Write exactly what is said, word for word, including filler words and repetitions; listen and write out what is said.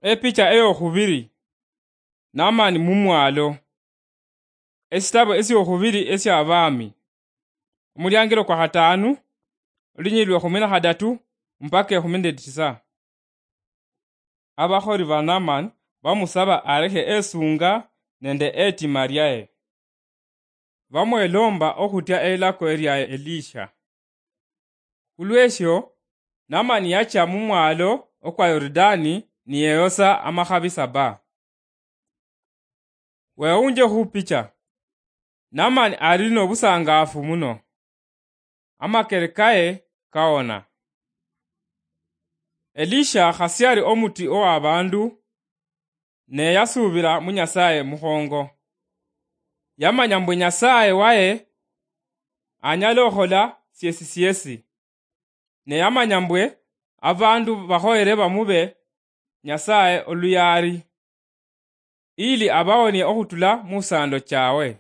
Epicha eyokhubiri. Naamani mumwalo. Esitabo esyokhubiri esya Abaami, omuliangilo kwa khataanu, olunyili lwekhumi na khadatu mpaka ekhumi nende tisa. Abakholi ba Naamani bamusaba alekhe esunga nende etima lyaye. Bamwelomba okhutya elilako elya Elisha. Khulwesho, Naamani yacha mumwalo okwa Yorudaani niyeyosa amakhabi saba. Wewunje khupicha. Naamani ali nobusangaafu muno. Amakere kaye kawona. Elisha khasi ali omuti owa bandu, ne yasuubila mu Nyasaye mukhongo. Yamanya mbwe Nyasaye waye anyala okhola syesi syesi. Ne yamanya mbwe abandu bakhoyere bamube Nyasaye oluyaali, ili abawonie okhutula mu sando chawe.